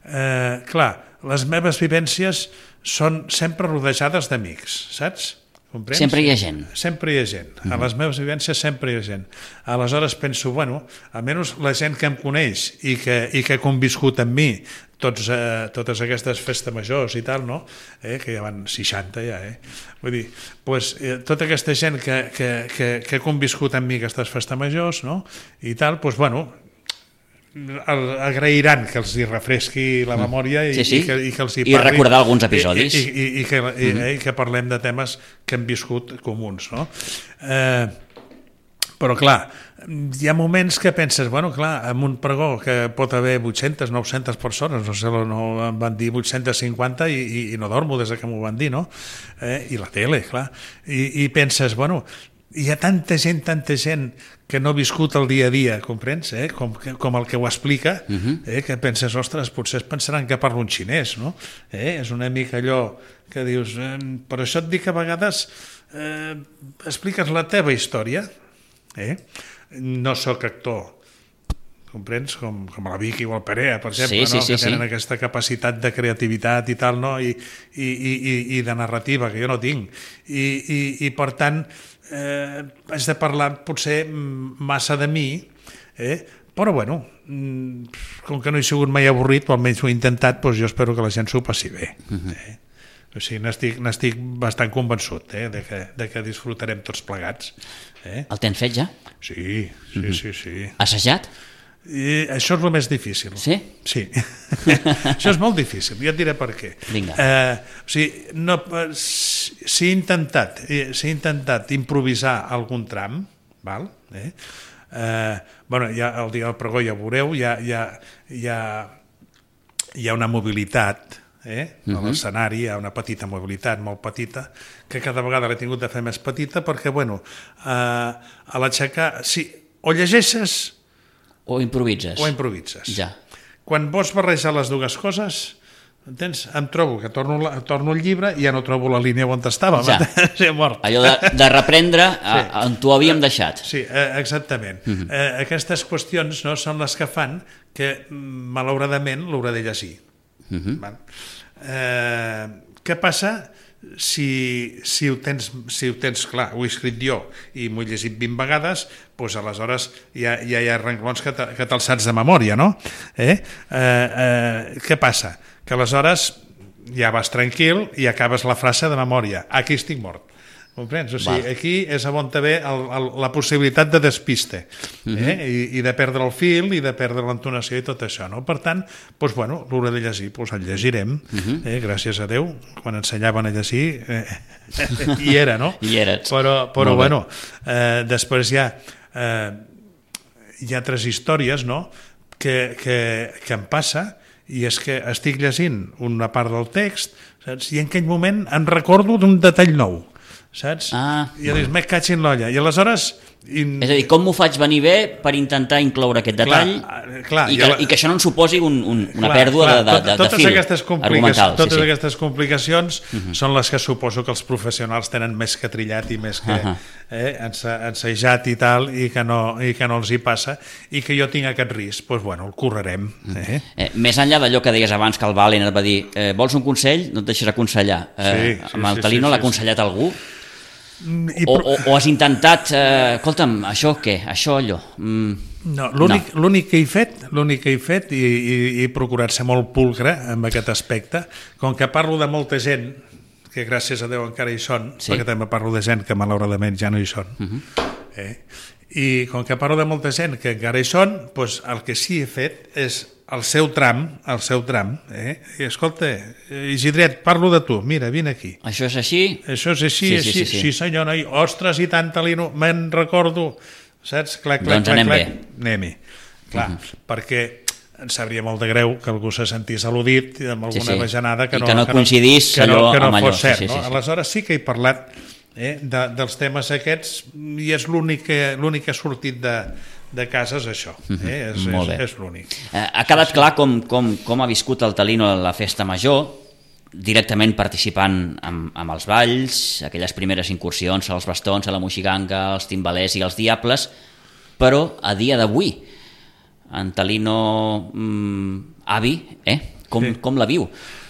eh, clar, les meves vivències són sempre rodejades d'amics, saps? Comprens? Sempre hi ha gent. Sempre hi ha gent. Mm-hmm. A les meves vivències sempre hi ha gent. Aleshores penso, bueno, almenys la gent que em coneix i que, i que ha conviscut amb mi tots, eh, totes aquestes festes majors i tal, no? Eh, que ja van seixanta ja, eh? Vull dir, pues, eh, tota aquesta gent que, que, que, que ha conviscut amb mi aquestes festes majors, no? I tal, pues, bueno, el, agrairan que els hi refresqui la memòria i, sí, sí. i, que, i que els hi parli. I recordar alguns episodis. I, i, i, que, i, mm-hmm. i que parlem de temes que hem viscut comuns, no? Eh, però clar, hi ha moments que penses, bueno, clar, en un pregó que pot haver vuit-centes, nou-centes persones, no sé, no, em van dir vuit-cents cinquanta i, i, i no dormo des que m'ho van dir, no? Eh, I la tele, clar. I, i penses, bueno, hi ha tanta gent, tanta gent que no ha viscut el dia a dia, comprens? Eh? Com, com el que ho explica, uh-huh. eh? que penses, ostres, potser es pensaran que parlo en xinès, no? Eh? És una mica allò que dius, eh, per això et dic que a vegades eh, expliques la teva història, eh? No sóc actor, comprens? Com, com la Vicky o el Perea, per exemple, sí, sí, no? sí, que tenen sí. aquesta capacitat de creativitat i tal, no? I, i, i, i de narrativa, que jo no tinc. I, i, i per tant, eh, haig de parlar potser massa de mi, eh? Però bueno, com que no he sigut mai avorrit, o almenys ho he intentat, doncs jo espero que la gent s'ho passi bé. Uh-huh. Eh? O sigui, n'estic, n'estic bastant convençut eh? de, que, de que disfrutarem tots plegats. Eh? El tens fet ja? Sí, sí, uh-huh. sí, sí. Assajat? I això és el més difícil. Sí? Sí. Això és molt difícil, ja et diré per què. Vinga. Eh, o sigui, no, s'he intentat, s'he intentat improvisar algun tram, val? Eh? Eh, bueno, ja, el dia del pregó ja ho veureu, hi ha, hi ha, hi ha, hi ha una mobilitat, eh? Uh-huh. A l'escenari hi ha una petita mobilitat, molt petita, que cada vegada l'he tingut de fer més petita perquè, bueno, eh, a l'aixecar, sí, o llegeixes o improvises. O improvises. Ja. Quan vols barrejar les dues coses, entens? Em trobo que torno, la, torno el llibre i ja no trobo la línia on estava. Ja. Sí, mort. Allò de, de reprendre a, sí. on t'ho havíem deixat. Sí, exactament. Uh-huh. eh, aquestes qüestions no, són les que fan que, malauradament, l'hauré de llegir. Uh-huh. Eh, què passa si, si, ho tens, si ho tens clar, ho he escrit jo i m'ho he llegit vint vegades, doncs aleshores ja, ja hi ha renglons que, te, que te'ls saps de memòria, no? Eh? Eh, eh, què passa? Que aleshores ja vas tranquil i acabes la frase de memòria. Aquí estic mort. Comprens? O sigui, aquí és on ve el, el, la possibilitat de despiste, eh? Uh-huh. I, i de perdre el fil i de perdre l'entonació i tot això, no? Per tant, doncs, bueno, l'hora de llegir, doncs el llegirem, uh-huh. eh? Gràcies a Déu, quan ensenyaven a llegir eh, hi era, no? Hi eres. Però, però bueno, eh, després hi ha eh, hi ha altres històries, no?, que, que, que em passa, i és que estic llegint una part del text, saps? I en aquell moment em recordo d'un detall nou, saps? Ah, I dius, me caig en l'olla. I aleshores... In... És a dir, com m'ho faig venir bé per intentar incloure aquest detall clar, clar, i, que, la... i que això no en suposi un, un, una clar, pèrdua clar, de, de, de, totes de fil aquestes argumental. Totes sí, sí. aquestes complicacions uh-huh. són les que suposo que els professionals tenen més que trillat i més que uh-huh. eh, ensejat i tal, i que, no, i que no els hi passa, i que jo tinc aquest risc, doncs bueno, el correrem. Eh? Eh, més enllà d'allò que deies abans que el Valen et va dir eh, vols un consell? No et deixes aconsellar. Eh, sí, sí, amb el Talino sí, sí, l'ha aconsellat sí. algú? I... O, o, o has intentat eh, escolta'm, això què? Això allò? Mm, no, l'únic no. l'únic que he fet l'únic que he fet i, i, i he procurat ser molt pulcre en aquest aspecte, com que parlo de molta gent que gràcies a Déu encara hi són, sí. perquè també parlo de gent que malauradament ja no hi són, uh-huh. eh? I com que parlo de molta gent que encara hi són, doncs el que sí he fet és el seu tram, el seu tram, eh? I escolta, Isidret, parlo de tu, mira, vine aquí. Això és així? Això és així, sí, així, sí, sí, sí. sí senyor, noi, ostres, i tant, Talino, me'n recordo, saps? Clac, clac, doncs clac, anem clac, bé. Anem-hi, clar, uh-huh. perquè em sabria molt de greu que algú se sentís al·ludit amb alguna sí, sí. bajanada que no, I que no que coincidís que no, allò que no amb allò. fos cert. Sí, sí, sí, no? sí. Aleshores sí que he parlat eh, de, dels temes aquests i és l'únic que, l'únic que ha sortit de de casa és això, eh? és, és, és l'únic. Eh, ha quedat clar com, com, com ha viscut el Talino a la festa major, directament participant amb, amb els balls, aquelles primeres incursions als bastons, a la moixiganga, als timbalers i als diables, però a dia d'avui, en Talino mm, avi, eh? com, sí. com la viu?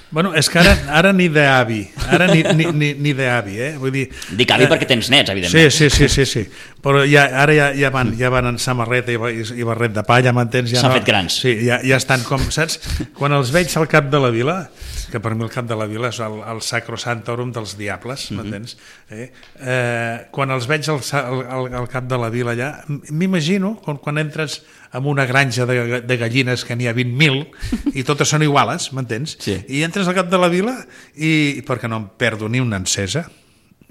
Bueno, és que ara, ara ni d'avi, ara ni, ni, ni, ni d'avi, eh? Vull dir... Dic avi eh, perquè tens nets, evidentment. Sí, sí, sí, sí, sí. Però ja, ara ja, ja, van, ja van en samarreta i, i barret de palla, m'entens? Ja S'han no, fet grans. Sí, ja, ja estan com, saps? Quan els veig al cap de la vila, que per mi el cap de la vila és el, el sacrosantorum dels diables, m'entens? Mm-hmm. Eh? Eh, quan els veig al, al, al cap de la vila allà, m'imagino quan, quan entres amb una granja de, de gallines que n'hi ha vint mil i totes són iguales, m'entens? Sí. I entres al cap de la vila i perquè no em perdo ni una encesa,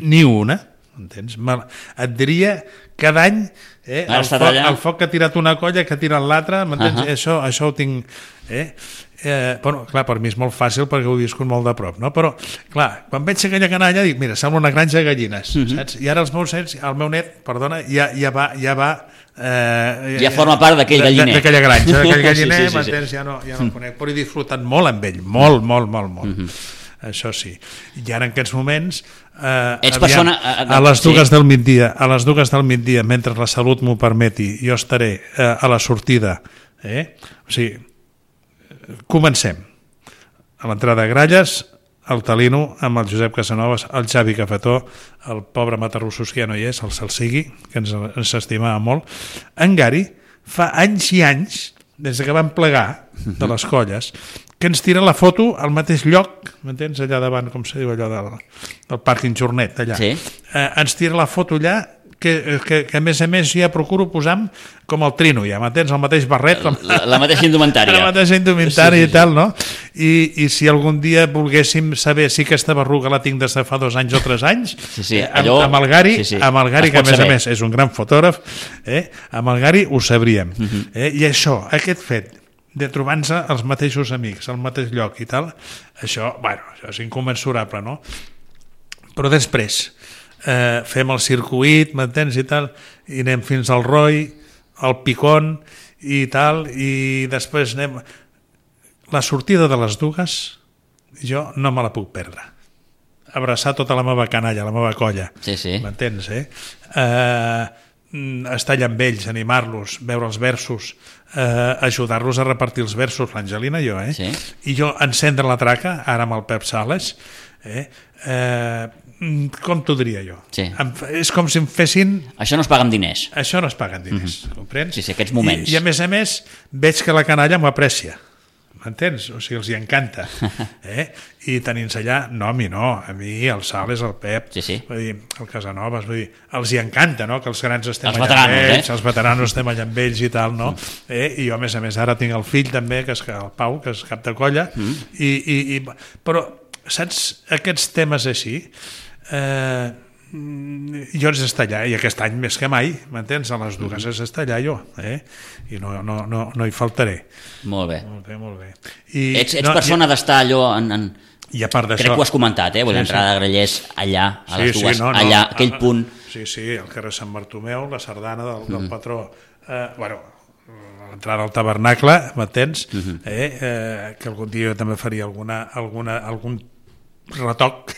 ni una, entens? Et diria cada any eh, el, foc, el foc que ha tirat una colla, que ha tirat l'altra, m'entens? Uh-huh. Això, això ho tinc... Eh? Eh, bueno, clar, per mi és molt fàcil perquè ho he viscut molt de prop, no? Però, clar, quan veig aquella canalla dic, mira, sembla una granja de gallines, uh-huh. saps? I ara els meus nets, el meu net, perdona, ja, ja va... Ja va Eh, ja forma part d'aquell galliner, d'aquella granja, d'aquell galliner, sí, sí, sí, sí. ja no, ja no el mm. conec, però he disfrutat molt amb ell, molt, molt, molt, molt. Mm-hmm. Això sí. I ara en aquests moments eh, Ets aviam, persona, a, a les dues sí. del migdia, a les dues del migdia, mentre la salut m'ho permeti, jo estaré eh, a la sortida, eh? O sigui, comencem. A l'entrada de Gralles, el Talino amb el Josep Casanovas, el Xavi Cafetó, el pobre Matarrussos que ja no hi és, el Salsigui, que ens, ens estimava molt. En Gari fa anys i anys, des que vam plegar de les colles, que ens tira la foto al mateix lloc, m'entens, allà davant, com se diu allò del, del pàrquing Jornet, allà. Sí. Eh, ens tira la foto allà, que, que, que a més a més ja procuro posar com el Trino, ja m'entens, el mateix barret com... la, la mateixa indumentària la mateixa indumentària sí, sí, sí. i tal, no? I, i si algun dia volguéssim saber si aquesta berruga la tinc des de fa dos anys o tres anys sí, sí, allò... amb, amb el Gari, sí, sí. amb el Gari que a més saber. a més és un gran fotògraf, eh? Amb el Gari ho sabríem, uh-huh. eh? I això, aquest fet de trobar-nos els mateixos amics al mateix lloc i tal, això, bueno, això és incommensurable, no? Però després Eh, fem el circuit, m'entens, i tal, i anem fins al Roi, al Picón i tal, i després anem... La sortida de les dues jo no me la puc perdre. Abraçar tota la meva canalla, la meva colla, sí, sí. m'entens, eh? eh? Estar allà amb ells, animar-los, veure els versos, eh, ajudar-los a repartir els versos, l'Angelina i jo, eh? Sí. I jo encendre la traca, ara amb el Pep Sales, eh? Eh, com t'ho diria jo? Sí. És com si em fessin... Això no es paga amb diners. Això no es paga amb diners, mm-hmm. comprens? Sí, sí, aquests moments. I, I a més a més veig que la canalla m'ho aprecia, m'entens? O sigui, els hi encanta. Eh? I tenint allà, no, a mi no, a mi el Sal és el Pep, sí, sí. Vull dir, el Casanovas, vull dir, els hi encanta, no?, que els grans estem els allà veteranos, amb ells, eh? els veteranos estem allà amb ells i tal, no? Mm. Eh? I jo, a més a més, ara tinc el fill també, que és el Pau, que és cap de colla, mm. i, i, i, però, saps, aquests temes així, eh, jo és estar allà, i aquest any més que mai, m'entens? A les dues és estar allà jo, eh? I no, no, no, no hi faltaré. Molt bé. Molt bé, molt bé. I, ets ets no, persona i, d'estar allò en... en... I a part d'això... Crec que ho has comentat, eh? Vull sí, entrar sí. de Grallers allà, a les sí, dues, sí, no, no, allà, aquell a, punt... Sí, sí, el carrer Sant Bartomeu, la sardana del, del mm. patró, eh, bueno, l'entrada al tabernacle, m'entens? Mm -hmm. eh, eh, que algun dia jo també faria alguna, alguna, algun retoc,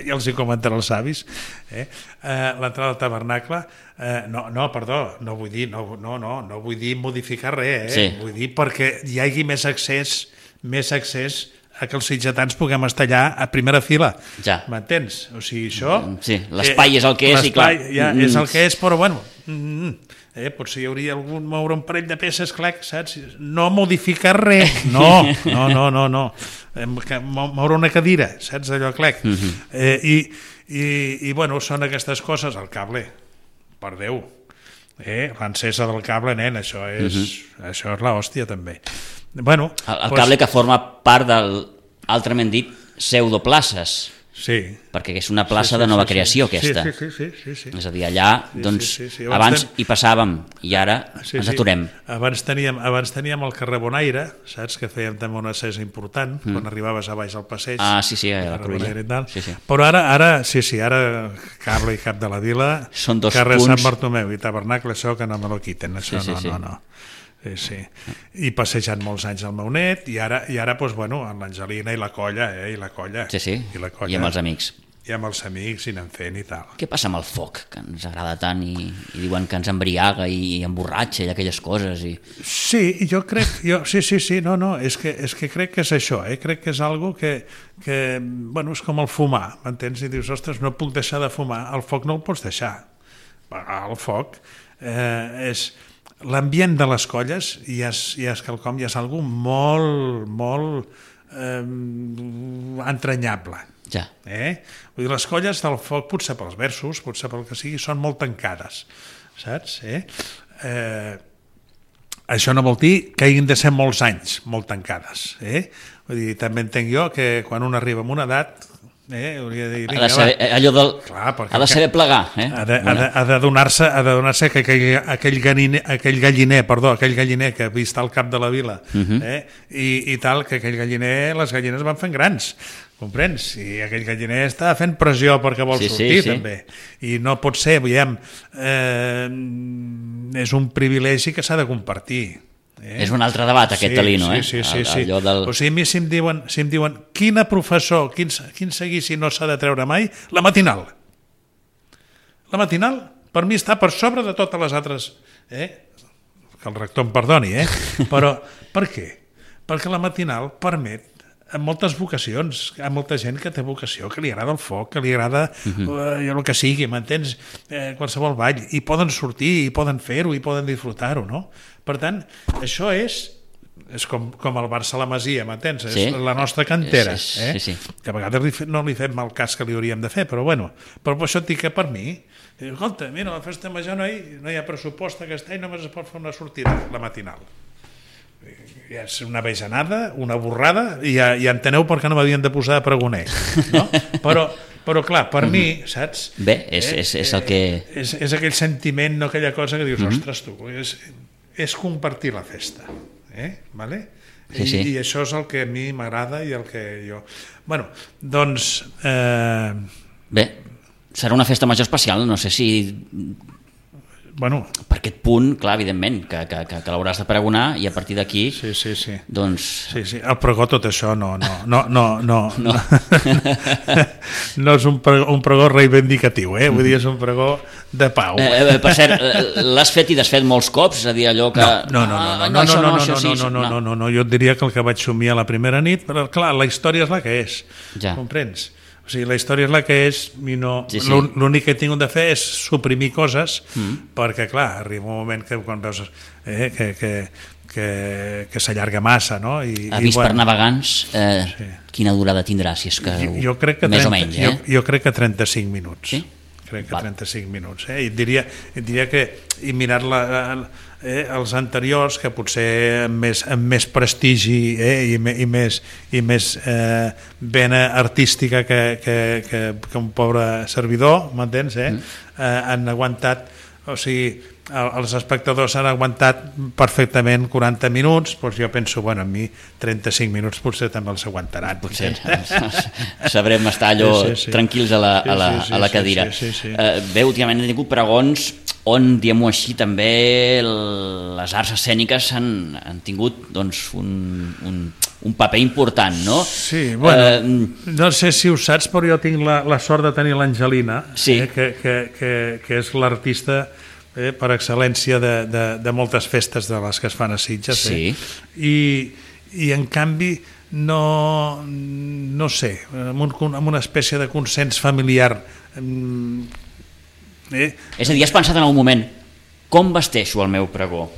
ja els hi comentaré als avis, eh? eh, l'entrada al tabernacle, eh, no, no, perdó, no vull dir, no, no, no, no vull dir modificar res, eh? Sí. Vull dir perquè hi hagi més accés, més accés a que els sitgetans puguem estar allà a primera fila, ja. M'entens? O sigui, això... Sí, l'espai eh, és el que és i clar... Ja, és el que és, però bueno... Mm, eh, potser hi hauria algun moure un parell de peces, clar, saps? No modificar res, no, no, no, no, no. Moure una cadira, saps, allò, clec. Mm -hmm. eh, i, i, I, bueno, són aquestes coses, el cable, per Déu, eh? L'encesa del cable, nen, això és, mm -hmm. això és l'hòstia, també. Bueno, el, el cable pues... que forma part del, altrament dit, pseudoplaces. Sí. Perquè és una plaça sí, sí, de nova sí, creació, sí, aquesta. Sí, sí, sí, sí, sí. És a dir, allà, sí, doncs, sí, sí, sí. Abans, abans ten... hi passàvem i ara sí, ens aturem. Sí. Abans, teníem, abans teníem el carrer Bonaire, saps, que fèiem també una accés important, mm. quan arribaves a baix al passeig. Ah, sí, sí, a la Cruïlla. Sí, sí. Però ara, ara, sí, sí, ara cable i cap de la vila, són dos carrer punts... Sant Bartomeu i tabernacle, això que no me lo quiten, això sí, sí, no, sí. no, no. Sí, sí. I passejant molts anys al meu net, i ara, i ara doncs, bueno, amb l'Angelina i la colla, eh, i la colla. Sí, sí, i, la colla, i amb els amics. I amb els amics, i anem fent i tal. Què passa amb el foc, que ens agrada tant i, i diuen que ens embriaga i, i emborratxa i aquelles coses? I... Sí, jo crec, jo, sí, sí, sí, no, no, és que, és que crec que és això, eh? Crec que és algo que, que, bueno, és com el fumar, m'entens? I dius, ostres, no puc deixar de fumar, el foc no el pots deixar. El foc eh, és... L'ambient de les colles ja és, ja és quelcom, ja és algo molt, molt eh, entranyable. Ja. Eh? Vull dir, les colles del foc, potser pels versos, potser pel que sigui, són molt tancades, saps? Eh? Eh, això no vol dir que hagin de ser molts anys molt tancades. Eh? Vull dir, també entenc jo que quan un arriba a una edat... Eh, hauria de dir, vinga, ha de saber, allò del, Clar, ha de saber plegar, eh? ha de, ha de, ha de donar-se ha de donar-se que aquell, aquell, galliner, aquell galliner perdó, aquell galliner que vist al cap de la vila uh-huh. eh? I, i tal, que aquell galliner, les gallines van fent grans, comprens? I aquell galliner està fent pressió perquè vol sí, sortir, sí, sí. també, i no pot ser, veiem, eh, és un privilegi que s'ha de compartir. Eh? És un altre debat, aquest sí, Talino, sí, eh? Sí, sí, sí. Allò del... O sigui, a mi si em diuen, si em diuen quina professor, quin, quin seguici no s'ha de treure mai, la matinal. La matinal, per mi, està per sobre de totes les altres... Eh? Que el rector em perdoni, eh? Però per què? Perquè la matinal permet a moltes vocacions, a molta gent que té vocació, que li agrada el foc, que li agrada uh-huh. eh, el que sigui, m'entens? Eh, qualsevol ball, i poden sortir, i poden fer-ho, i poden disfrutar-ho, no? Per tant, això és, és com, com el Barça a la Masia, m'entens? Sí. És la nostra cantera, sí, eh? sí, sí. Que a vegades li fe, no li fem el cas que li hauríem de fer, però bueno, però per això et dic que per mi, dic, escolta, mira, a la festa major no hi, no hi ha pressupost aquest any, només es pot fer una sortida, la matinal. Ja és una bajanada, una borrada, i ja, ja enteneu per què no m'havien de posar de pregoner, no? Però, però clar, per mm-hmm. mi, saps? Bé, és, eh, és, és el que... És, és aquell sentiment, no aquella cosa que dius, mm-hmm. ostres, tu, és, és compartir la festa, eh? Vale? Sí, sí. I, I això és el que a mi m'agrada i el que jo... Bueno, doncs... Eh... Bé, serà una festa major especial, no sé si... Bueno, per aquest punt, clar, evidentment, que, que, que, que l'hauràs de pregonar i a partir d'aquí, sí, sí, sí. doncs... Sí, sí, el pregó tot això no, no, no, no, no, no. no és un pregó, un pregó reivindicatiu, eh? Vull dir, és un pregó de pau. Eh, per cert, l'has fet i desfet molts cops, és a dir, allò que... No, no, no, no, no, no, no, no, no, no, no, no, no, jo et diria que el que vaig somiar la primera nit, però clar, la història és la que és, ja. Comprens? O sigui, la història és la que és i no, sí, sí. l'únic que he tingut de fer és suprimir coses mm. perquè, clar, arriba un moment que quan veus eh, que, que, que, que s'allarga massa, no? I, Avís i, bueno, per navegants, eh, sí. Quina durada tindrà, si és que, jo, jo crec que més trenta, o menys, eh? Jo, jo crec que trenta-cinc minuts. Sí? Crec que trenta-cinc minuts. Eh? I diria, diria que, i mirar la, eh, els anteriors, que potser amb més, amb més prestigi eh, i, i més, i més eh, vena artística que, que, que, que un pobre servidor, m'entens? Eh? Mm. Eh, han aguantat, o sigui, els espectadors han aguantat perfectament quaranta minuts, doncs jo penso, bueno, a mi trenta-cinc minuts potser també els aguantaran. Potser sabrem estar allò sí, sí, sí. tranquils a la, a la, a la cadira. Sí, sí, sí, sí. Uh, bé, últimament he tingut pregons on, diguem-ho així, també les arts escèniques han, han tingut doncs, un, un, un paper important, no? Sí, bueno, uh, no sé si ho saps, però jo tinc la, la sort de tenir l'Angelina, sí. eh, que, que, que, que és l'artista Eh, per excel·lència de, de, de moltes festes de les que es fan a Sitges, sí. eh? I, i en canvi no, no sé, amb, un, amb una espècie de consens familiar eh? És a dir, has pensat en algun moment com vesteixo el meu pregó?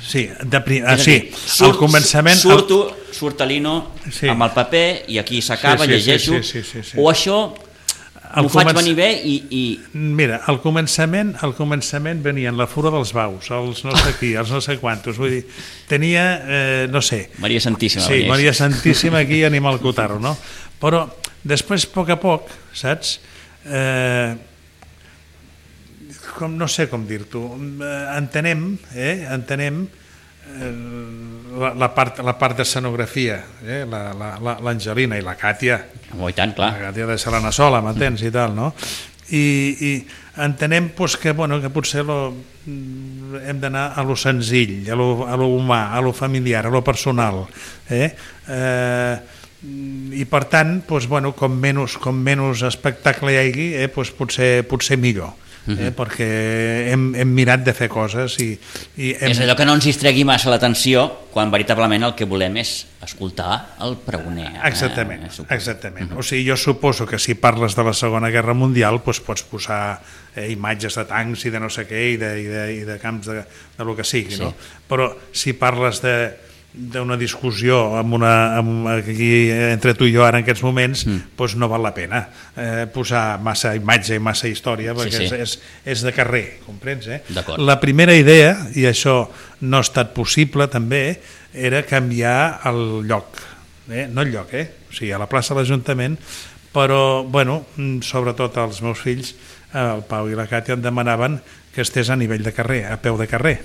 Sí, de prim... ah, dir, sí. Surt, al començament surto, surt a l'Ino sí. amb el paper i aquí s'acaba, sí, sí, llegeixo sí, sí, sí, sí, sí. O això M'ho faig començ... venir bé i, i... Mira, al començament, al començament venien la Fura dels Baus, els no sé qui, els no sé quantos, vull dir, tenia, eh, no sé... Maria Santíssima. Sí, Maria Santíssima aquí, Animal Cotarro, no? Però després, a poc a poc, saps? Eh, com, no sé com dir-t'ho, entenem, eh, entenem La, la, part, la part d'escenografia, eh? l'Angelina i la Càtia, oh, i tant, clar. La Càtia de Selena Sola, m'entens, i tal, no? I, i entenem pues, que, bueno, que potser lo, hem d'anar a lo senzill, a lo, a lo humà, a lo familiar, a lo personal, eh? Eh, i per tant, pues, bueno, com, menys, com menys espectacle hi hagi, eh? pues, potser, potser millor. Eh, uh-huh. perquè hem, hem mirat de fer coses i, i hem... És allò que no ens distregui massa l'atenció quan veritablement el que volem és escoltar el pregoner. Exactament, eh, exactament. Uh-huh. O sigui, jo suposo que si parles de la Segona Guerra Mundial doncs pots posar eh, imatges de tancs i de no sé què i de, i de, i de camps de, de lo que sigui, sí. No? Però si parles de d'una discussió amb una, amb, aquí entre tu i jo ara en aquests moments, mm. doncs no val la pena eh, posar massa imatge i massa història perquè sí, sí. És, és, és de carrer, comprens? Eh? La primera idea, i això no ha estat possible també, era canviar el lloc, eh? no el lloc, eh? O sigui, a la plaça de l'Ajuntament, però, bueno, sobretot els meus fills, el Pau i la Càtia, em demanaven que estés a nivell de carrer, a peu de carrer.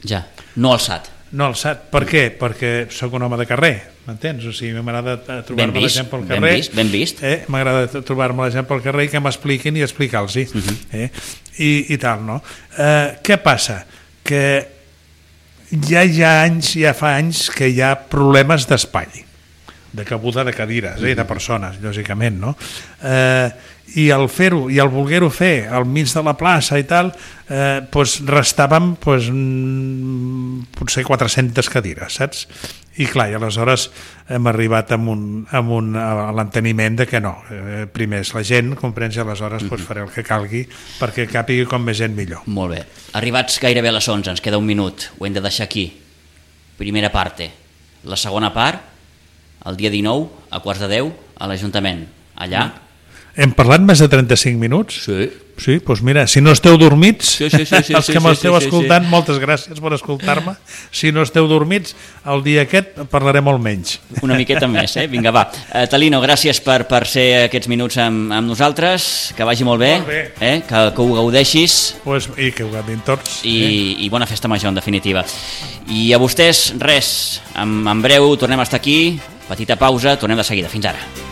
Ja, no alçat. No alçat. Per què? Perquè sóc un home de carrer, m'entens? O sigui, m'agrada trobar-me la gent pel carrer. Ben vist, ben vist. Eh? M'agrada trobar-me la gent pel carrer i que m'expliquin i explicar-los. Uh-huh. eh? I, I tal, no? Eh, què passa? Que ja hi ha anys, ja fa anys que hi ha problemes d'espai, de cabuda de cadires, eh? de persones, lògicament, no? Eh, i el fer-ho, i el voler-ho fer al mig de la plaça i tal, eh, doncs restàvem doncs, potser quatre-centes cadires, saps? I clar, i aleshores hem arribat amb un, amb un, a l'enteniment de que no, eh, primer és la gent, comprens, i aleshores doncs, faré el que calgui perquè càpigui com més gent millor. Molt bé. Arribats gairebé a les onze, ens queda un minut, ho hem de deixar aquí. Primera parte. La segona part, el dia dinou, a quarts de deu, a l'Ajuntament. Allà... Mm. Hem parlat més de trenta-cinc minuts? Sí. Sí, doncs mira, si no esteu dormits, sí, sí, sí, sí, els que sí, m'esteu sí, sí, escoltant, sí. moltes gràcies per escoltar-me. Si no esteu dormits, el dia aquest parlaré molt menys. Una miqueta més, eh? Vinga, va. Uh, Talino, gràcies per, per ser aquests minuts amb, amb nosaltres, que vagi molt bé, molt bé. Eh? Que, que ho gaudeixis. Pues, I que ho gaudin tots. I, eh? I bona festa major, en definitiva. I a vostès, res, en, en breu tornem a estar aquí, petita pausa, tornem de seguida. Fins ara.